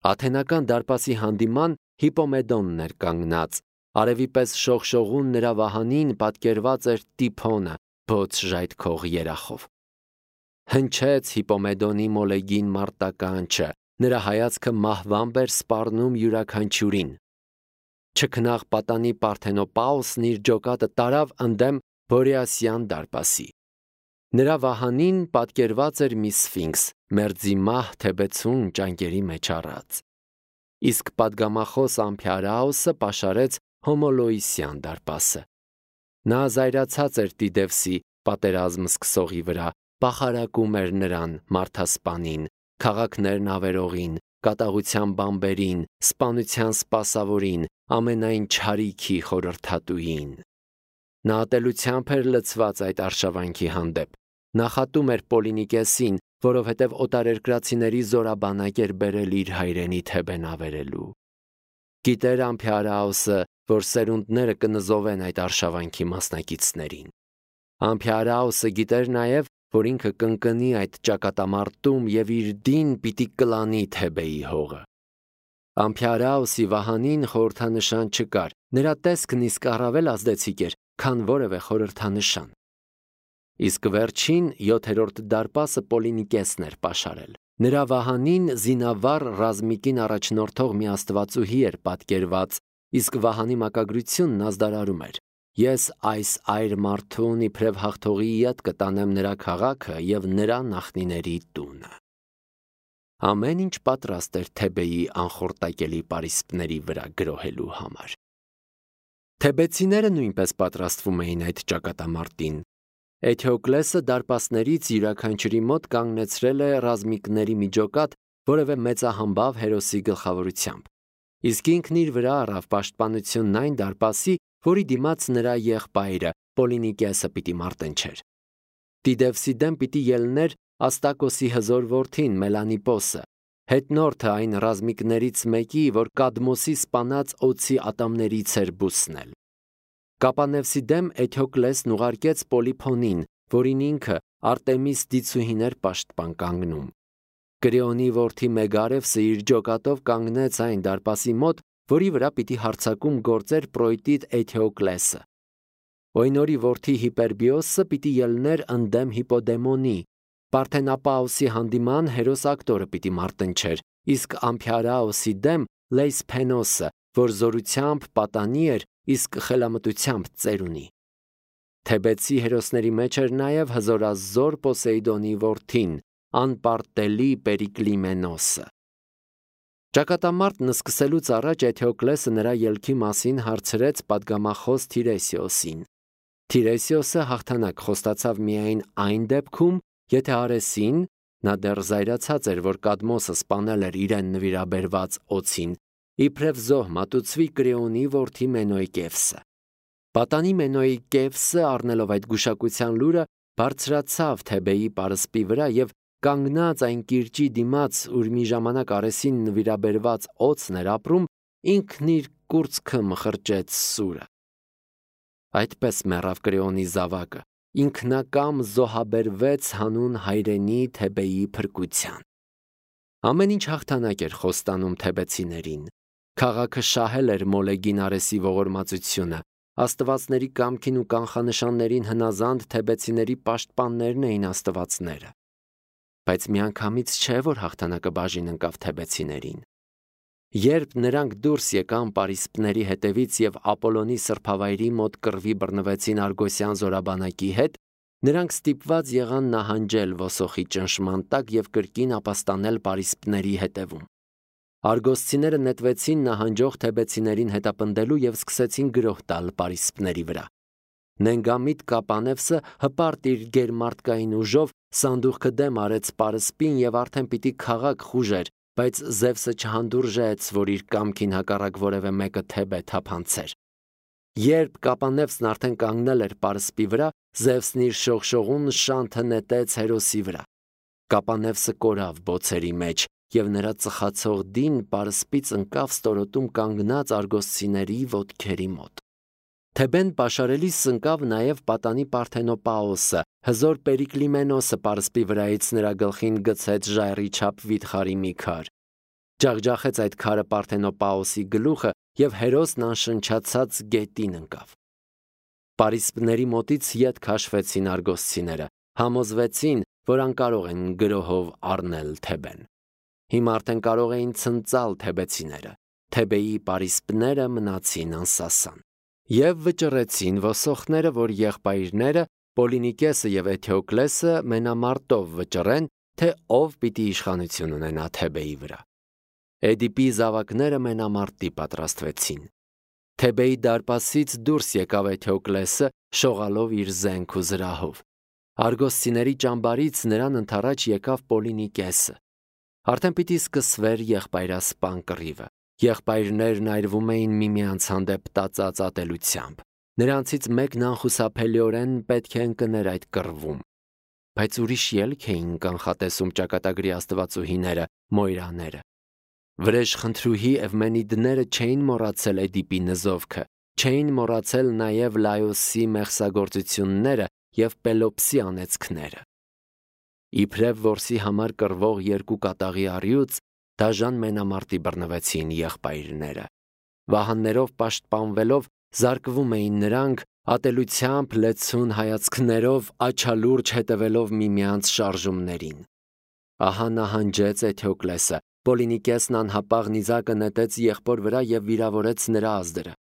Աթենական դարպասի հանդիման Հիպոմեդոնն էր կանգնած, արևի պես շողշողուն նրա վահանին պատկերված էր Տիփոնը բոց ժայթքող երախով։ Հնչեց Հիպոմեդոնի մոլեգին մարտականչը, նրա հայացքը մահվամբ էր սպառնում յուրաքանչյուրին։ Չքնաղ պատանի Պարթենոպաուսն իր ջոկատը տարավ ընդդեմ Բորեասյան դարպասի։ Նրա վահանին պատկերված էր մի սֆինքս, մերձի մահ թեբեցուն ճանկերի մեջ առած։ Իսկ պատգամախոս Ամփիարաուսը պաշարեց Հոմոլոիսյան դարպասը։ Նա զայրացած էր Տիդևսի պատերազմ սկսողի վրա, պախարակում էր նրան մարդասպանին, քաղաքներն ավերողին, կատաղության բամբերին, սպանության սպասավորին, ամենայն չարիքի խորհրդատուին։ Նա ատելությամբ էր լցված այդ արշավանքի հանդեպ։ Նախատում էր Պոլինիկեսին, որովհետև օտարերկրացիների զորաբանակ էր բերել իր հայրենի Թեբեն ավերելու։ Գիտեր Ամփիարաուսը, որ սերունդները կնզովեն այդ արշավանքի մասնակիցներին։ Ամփիարաուսը գիտեր նաև, որ ինքը կընկնի այդ ճակատամարտում եւ իր դին պիտի կլանի Թեբեի հողը։ Ամփիարաուսի վահանին խորհրդանշան չկար, նրա տեսքն իսկ առավել ազդեցիկ էր, քան որևէ խորհրդանշան։ Իսկ վերջին 7-րդ դարպասը Պոլինիկեսն էր պաշարել։ Նրա վահանին զինավառ ռազմիկին առաջնորդող մի աստվածուհի էր պատկերված, իսկ վահանի մակագրությունն ազդարարում էր. «Ես այս այր մարդուն իբրև հաղթողի յետ կտանեմ նրա քաղաքը եւ նրա նախնիների տունը»։ Ամեն ինչ պատրաստ էր Թեբեի անխորտակելի պարիսպների վրա գրոհելու համար։ Թեբեցիները նույնպես պատրաստվում էին այդ ճակատամարտին։ Էթեոկլեսը դարպասներից յուրաքանչյուրի մոտ կանգնեցրել է ռազմիկների մի ջոկատ որևէ մեծահամբավ հերոսի գլխավորությամբ։ Իսկ ինքն իր վրա առավ պաշտպանությունն այն դարպասի, որի դիմաց նրա եղբայրը Պոլինիկեսը պիտի մարտնչեր։ Տիդևսի դեմ պիտի ելներ Աստակոսի հզոր որդին Մելանիպոսը, հետնորդը այն ռազմիկներից մեկի, որ Կադմոսի սպանած օձի ատամներից էր բուսնել։ Կապանևսի դեմ Էթեոկլեսն ուղարկեց Պոլիփոնին, որին ինքը Արտեմիս դիցուհին էր պաշտպան կանգնում։ Կրեոնի որդի Մեգարևսը իր ջոկատով կանգնեց այն դարպասի մոտ, որի վրա պիտի հարձակում գործեր Պրոյտիդ Էթեոկլեսը։ Օյնորի որդի Հիպերբիոսը պիտի ելներ ընդդեմ Հիպոդեմոնի։ Պարթենապաուսի հանդիման հերոս ակտորը պիտի մարտնչեր, իսկ Ամփիարաուսի դեմ Լեյսփենոսը, որ զորությամբ պատանի էր, իսկ խելամտությամբ ծերունի։ Թեբեցի հերոսների մեջ էր նաև հզորազոր Պոսեյդոնի որդին, անպարտելի Պերիկլիմենոսը։ Ճակատամարտն սկսելուց առաջ Էթեոկլեսը նրա ելքի մասին հարցրեց պատգամախոս Թիրեսիոսին։ Թիրեսիոսը հաղթանակ խոստացավ միայն այն դեպքում, եթե Արեսին, նա դեռ զայրացած էր, որ Կադմոսը սպանել էր իրեն նվիրաբերված օձին, իբրև զոհ մատուցվի Կրեոնի որդի Մենոյկևսը։ Պատանի Մենոյկևսը, առնելով այդ գուշակության լուրը, բարձրացավ Թեբեի պարսպի վրա եւ կանգնած այն կիրճի դիմաց, ուր մի ժամանակ Արեսին նվիրաբերված օձն էր ապրում, ինքն իր կուրծքը մխրճեց սուրը։ Այդպես մեռավ Կրեոնի զավակը, ինքնակամ զոհաբերվեց հանուն հայրենի Թեբեի փրկության։ Ամեն ինչ հաղթանակ էր խոստանում թեբեցիներին։ Քաղաքը շահել էր Մոլեգին Արեսի ողորմածությունը, աստվածների կամքին ու կանխանշաններին հնազանդ թեբեցիների պաշտպաններն էին աստվածները։ Բայց միանգամից չէ, որ հաղթանակը բաժին ընկավ թեբեցիներին։ Երբ նրանք դուրս եկան պարիսպների հետևից եւ Ապոլոնի սրբավայրի մոտ կռվի բռնվեցին Արգոսյան զորաբանակի հետ, նրանք ստիպված եղան նահանջել ոսոխի ճնշման տակ եւ կրկին ապաստանել պարիսպների հետևում։ Արգոսցիները նետվեցին նահանջող թեբեցիներին հետապնդելու եւ սկսեցին գրոհ տալ պարիսպների վրա։ Նենգամիտ Կապանևսը հպարտ իր գերմարտկային ուժով սանդուղքը դեմ արեց պարսպին եւ արդեն պիտի քաղաք խուժեր, բայց Զևսը չհանդուրժեց, որ իր կամքին հակառակ որևէ մեկը Թեբե թափանցեր։ Երբ Կապանևսն արդեն կանգնել էր պարսպի վրա, Զևսն իր շողշողուն շանթը նետեց հերոսի վրա։ Կապանևսը կորավ բոցերի մեջ եւ նրա ծխացող դին պարսպից ընկավ ստորոտում կանգնած արգոսցիների ոտքերի մոտ։ Թեբեն պաշարելիս ընկավ նաև պատանի Պարթենոպաոսը, հզոր Պերիկլիմենոսը պարսպի վրայից նրա գլխին գցեց ժայռի չափ վիթխարի մի քար։ ջախջախեց այդ քարը Պարթենոպաոսի գլուխը և հերոսն անշնչացած գետին ընկավ։ Պարիսպների մոտից ետ քաշվեցին արգոսցիները, համոզվեցին, որ անկարող են գրոհով առնել Թեբեն։ Հիմա արդեն կարող էին ցնծալ թեբեցիները։ Թեբեի պարիսպները մնացին անսասան և վճռեցին ոսոխները, որ եղբայրները Պոլինիկեսը և Էթեոկլեսը մենամարտով վճռեն, թե ով պիտի իշխանություն ունենա Թեբեի վրա։ Էդիպի զավակները մենամարտի պատրաստվեցին։ Թեբեի դարպասից դուրս եկավ Էթեոկլեսը, շողալով իր զենք ու զրահով։ Արգոսցիների ճամբարից նրան ընդառաջ եկավ Պոլինիկեսը։ Արդեն պիտի սկսվեր եղբայրասպան կռիվը։ Եղբայրներն այրվում էին միմյանց հանդեպ տածած ատելությամբ։ Նրանցից մեկն անխուսափելիորեն պետք է ընկներ այդ կռվում։ Բայց ուրիշ ելք էին կանխատեսում ճակատագրի աստվածուհիները, մոյրաները։ Վրեժխնդրուհի Էվմենիդները չէին մոռացել Էդիպի նզովքը, չէին մոռացել նաև Լայոսի մեղսագործությունները և Պելոպսի անեծքները։ Իբրև որսի համար կռվող երկու կատաղի առյուծ դաժան մենամարտի բռնվեցին եղբայրները։ Վահաններով պաշտպանվելով զարկվում էին նրանք, ատելությամբ լեցուն հայացքներով աչալուրջ հետևելով միմյանց շարժումներին։ Ահա նահանջեց Էթեոկլեսը, Պոլինիկեսն անհապաղ նիզակը նետեց եղբոր վրա և վիրավորեց նրա ազդրը։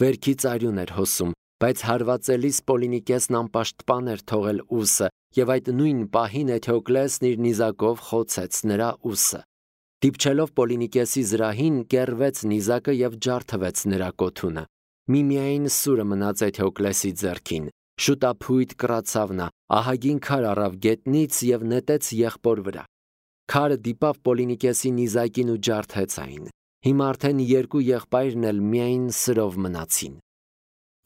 Վերքից արյուն էր հոսում, բայց հարվածելիս Պոլինիկեսն անպաշտպան էր թողել ուսը, և այդ նույն պահին Էթեոկլեսն իր նիզակով խոցեց նրա ուսը։ Դիպչելով Պոլինիկեսի զրահին, կեռվեց նիզակը և ջարդվեց նրա կոթունը։ Միմիայն սուրը մնաց Էթեոկլեսի ձեռքին։ Շուտափույթ կռացավ նա, ահագին քար առավ գետնից և նետեց եղբոր վրա։ Քարը դիպավ Պոլինիկեսի նիզակին ու ջարդեց այն։ Հիմա արդեն երկու եղբայրն էլ միայն սրով մնացին։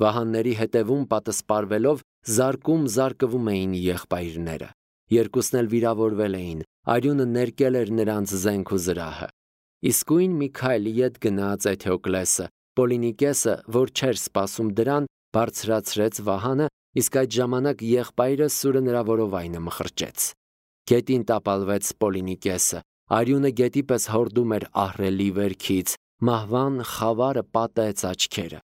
Վահանների հետևում պատսպարվելով զարկում էին եղբայրները։ Երկուսն էլ վիրավորվել էին, արյունը ներկել էր նրանց զենք ու զրահը։ Իսկույն մի քայլ ետ գնաց Էթեոկլեսը, Պոլինիկեսը, որ չէր սպասում դրան, բարձրացրեց վահանը, իսկ այդ ժամանակ եղբայրը սուրը նրա որովայնը մխրճեց։ Գետին տապալվեց Պոլինիկեսը, արյունը գետի պես հորդում էր ահռելի վերքից, մահվան խավարը պատեց աչքերը։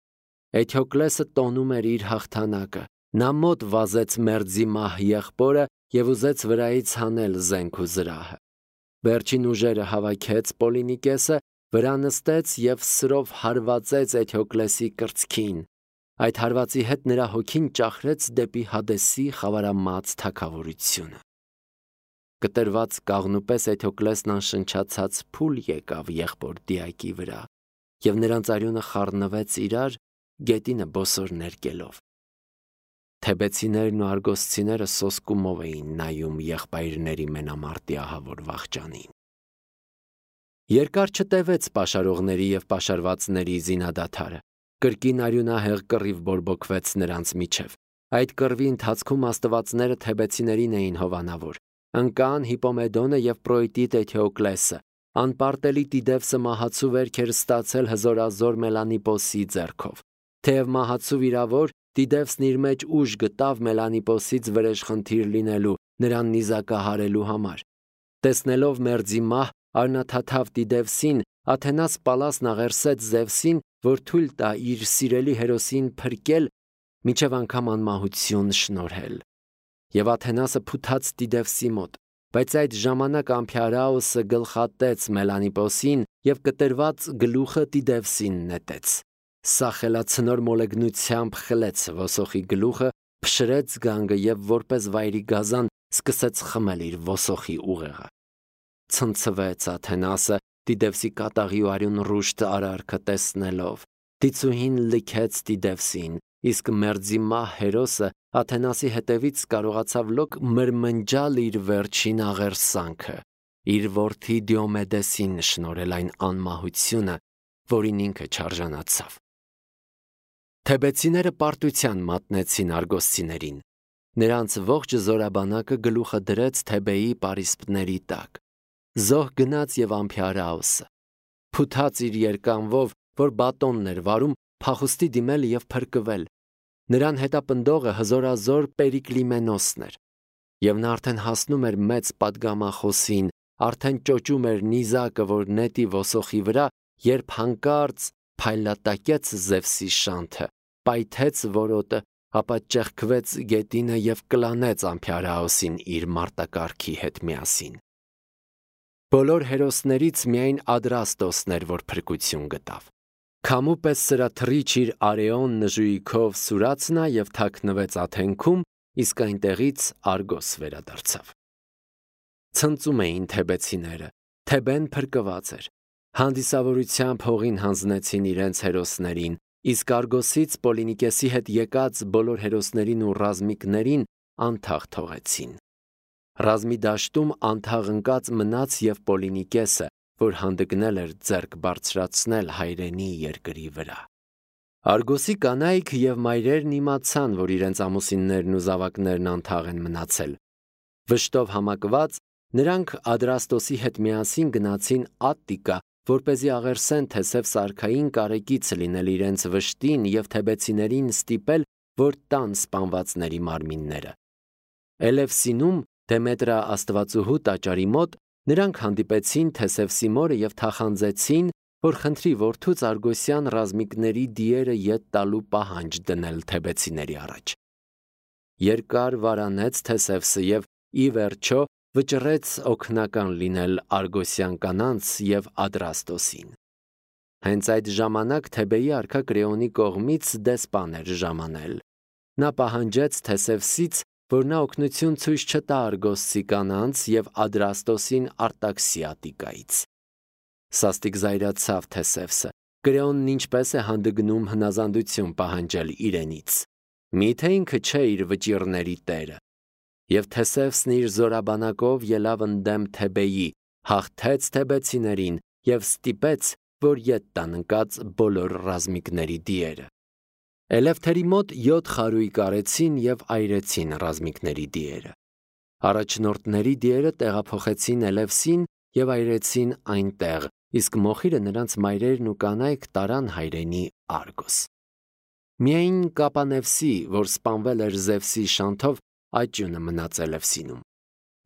Էթեոկլեսը տոնում էր իր հաղթանակը։ Նա մոտ վազեց մերձի մահ եղբորը և ուզեց վրայից հանել զենք ու զրահը։ Վերջին ուժերը հավաքեց Պոլինիկեսը, վրա նստեց և սրով հարվածեց Էթեոկլեսի կրծքին։ Այդ հարվածի հետ նրա հոգին ճախրեց դեպի Հադեսի խավարամած թագավորությունը։ Կտրված կաղնու պես Էթեոկլեսն անշնչացած փուլ եկավ եղբոր դիակի վրա, և նրանց արյունը խառնվեց իրար, գետինը բոսոր ներկելով։ Թեբեցիներն ու արգոսցիները սոսկումով էին նայում եղբայրների մենամարտի ահավոր վախճանին։ Երկար չտևեց պաշարողների և պաշարվածների զինադադարը։ Կրկին արյունահեղ կռիվ բորբոքվեց նրանց միջև։ Այդ կռվի ընթացքում աստվածները թեբեցիներին էին հովանավոր։ Ընկան Հիպոմեդոնը և Պրոյտիտ Էթեոկլեսը։ Անպարտելի Տիդևսը մահացու վերք էր ստացել հզորազոր Մելանիպոսի ձեռքով։ Թեև մահացու վիրավոր, Տիդևսն իր մեջ ուժ գտավ Մելանիպոսից վրեժխնդիր լինելու, նրան նիզակահարելու համար։ Տեսնելով մերձի մահ, արնաթաթավ Տիդևսին, Աթենաս Պալասն աղերսեց Զևսին, որ թույլ տա իր սիրելի հերոսին փրկել, մինչև անգամ անմահություն շնորհել։ Եվ Աթենասը փութաց Տիդևսի մոտ, բայց այդ ժամանակ Ամփիարաոսը գլխատեց Մելանիպոսին և կտրված գլուխը Տիդևսին նետեց։ Սա խելացնոր մոլեգնությամբ խլեց ոսոխի գլուխը, փշրեց գանգը և որպես վայրի գազան սկսեց խմել իր ոսոխի ուղեղը։ Ցնցվեց Աթենասը Տիդևսի կատաղի ու արյուն ռուշտ արարքը տեսնելով։ Դիցուհին լքեց Տիդևսին, իսկ մերձի մահ հերոսը Աթենասի հետևից կարողացավ լոկ մրմնջալ իր վերջին աղերսանքը, իր որդի Դիոմեդեսին շնորհել այն անմահությունը, որին ինքը չարժանացավ։ Թեբեցիները պարտության մատնեցին արգոսցիներին։ Նրանց ողջ զորաբանակը գլուխը դրեց Թեբեի պարիսպների տակ։ Զոհ գնաց և Ամփիարաոսը փութաց իր երկանվով, որ բատոնն էր վարում, փախուստի դիմել և փրկվել։ Նրան հետապնդողը հզորազոր Պերիկլիմենոսն էր, և նա արդեն հասնում էր մեծ պատգամախոսին, արդեն ճոճում էր նիզակը, որ նետի ոսոխի վրա, երբ հանկարծ փայլատակեց Զևսի շանթը, պայթեց որոտը, ապա ճեղքվեց գետինը և կլանեց ամփյարահոսին իր մարտակառքի հետ միասին։ Բոլոր հերոսներից միայն Ադրաստոսն էր, որ փրկություն գտավ։ Քամու պես սրաթռիչ իր արեոն նժույգով սուրաց նա և թաքնվեց աթենքում, իսկ այնտեղից Արգոս վերադարձավ։ Ցնծում էին թեբեցիները, Թեբեն փրկված էր։ Հանդիսավորությամբ հողին հանձնեցին իրենց հերոսներին, իսկ Արգոսից Պոլինիկեսի հետ եկած բոլոր հերոսներին ու ռազմիկներին անթաղ թողեցին։ Ռազմի դաշտում անթաղ ընկած մնաց և Պոլինիկեսը, որ հանդգնել էր ձեռք բարձրացնել հայրենի երկրի վրա։ Արգոսի կանայք և մայրերն իմացան, որ իրենց ամուսիններն ու զավակներն անթաղ են մնացել։ Վշտով համակված, նրանք Ադրաստոսի հետ միասին գնացին Ատտիկա, որպեսզի աղերսեն Թեսև սարքային կարեկից լինել իրենց վշտին և թեբեցիներին ստիպել, որ տան սպանվածների մարմինները։ Էլևսինում, Դեմետրա աստվածուհու տաճարի մոտ, նրանք հանդիպեցին Թեսևսի մորը և թախանձեցին, որ խնդրի որդուց Արգոսյան ռազմիկների դիերը ետ տալու պահանջ դնել թեբեցիների առաջ։ Երկար վարանեց Թեսևսը և ի վերջո վճռեց օգնական լինել Արգոսյան կանանց և Ադրաստոսին։ Հենց այդ ժամանակ Թեբեի արքա Կրեոնի կողմից դեսպան էր ժամանել։ Նա պահանջեց Թեսևսից, որ նա օգնություն ցույց չտա Արգոսցի կանանց և Ադրաստոսին արտաքսի Ատտիկայից։ Սաստիկ զայրացավ Թեսևսը։ Կրեոնն ինչպես է հանդգնում հնազանդություն պահանջել իրենից։ Միթե ինքը չէ իր վճիռների տերը։ Եվ Թեսևսն իր զորաբանակով ելավ ընդդեմ Թեբեի, հաղթեց թեբեցիներին և ստիպեց, որ ետ տան ընկած բոլոր ռազմիկների դիերը։ Էլևթերի մոտ 7 խարույկ արեցին և այրեցին ռազմիկների դիերը։ Առաջնորդների դիերը տեղափոխեցին Էլևսին և այրեցին այնտեղ, իսկ մոխիրը նրանց մայրերն ու կանայք տարան հայրենի Արգոս։ Միայն Կապանևսի, որ սպանվել էր Զևսի շանթով, աճյունը մնաց Էլևսինում։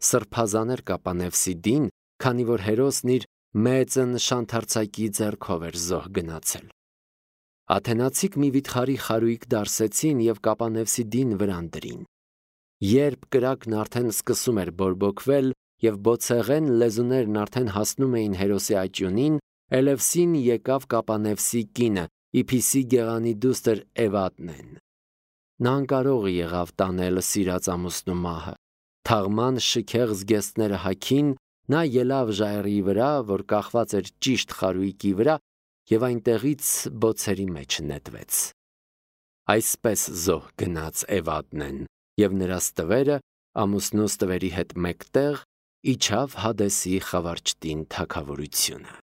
Սրբազան էր Կապանևսի դին, քանի որ հերոսն իր մեծն շանթարցակի ձեռքով էր զոհ գնացել։ Աթենացիք մի վիթխարի խարույկ դարսեցին և Կապանևսի դին վրան դրին։ Երբ կրակն արդեն սկսում էր բորբոքվել և բոցեղեն լեզուներն արդեն հասնում էին հերոսի աճյունին, Էլևսին եկավ Կապանևսի կինը, Իփիսի գեղանի դուստր Էվադնեն։ Նա անկարող եղավ տանել սիրած ամուսնու մահը։ Թաղման շքեղ զգեստները հագին, նա ելավ ժայռի վրա, որ կախված էր ճիշտ խարույկի վրա, և այնտեղից բոցերի մեջ նետվեց։ Այսպես զոհ գնաց Էվադնեն, և նրա ստվերը ամուսնու ստվերի հետ մեկտեղ իջավ Հադեսի խավարճտին թագավորությունը։